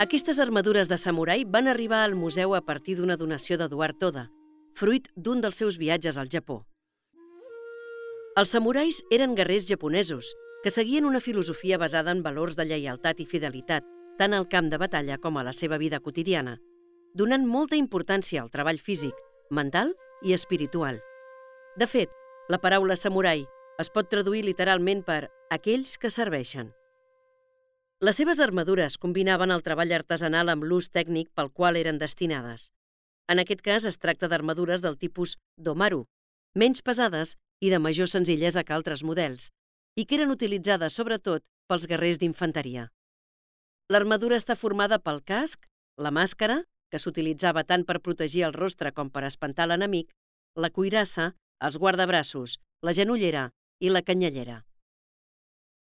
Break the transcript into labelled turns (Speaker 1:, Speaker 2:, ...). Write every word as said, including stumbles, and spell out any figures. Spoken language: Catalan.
Speaker 1: Aquestes armadures de samurai van arribar al museu a partir d'una donació d'Eduard Toda, fruit d'un dels seus viatges al Japó. Els samurais eren guerrers japonesos que seguien una filosofia basada en valors de lleialtat i fidelitat, tant al camp de batalla com a la seva vida quotidiana, donant molta importància al treball físic, mental i espiritual. De fet, la paraula samurai es pot traduir literalment per aquells que serveixen. Les seves armadures combinaven el treball artesanal amb l'ús tècnic pel qual eren destinades. En aquest cas es tracta d'armadures del tipus domaru, menys pesades i de major senzillesa que altres models, i que eren utilitzades sobretot pels guerrers d'infanteria. L'armadura està formada pel casc, la màscara, que s'utilitzava tant per protegir el rostre com per espantar l'enemic, la cuirassa, els guardabraços, la genollera i la canyellera.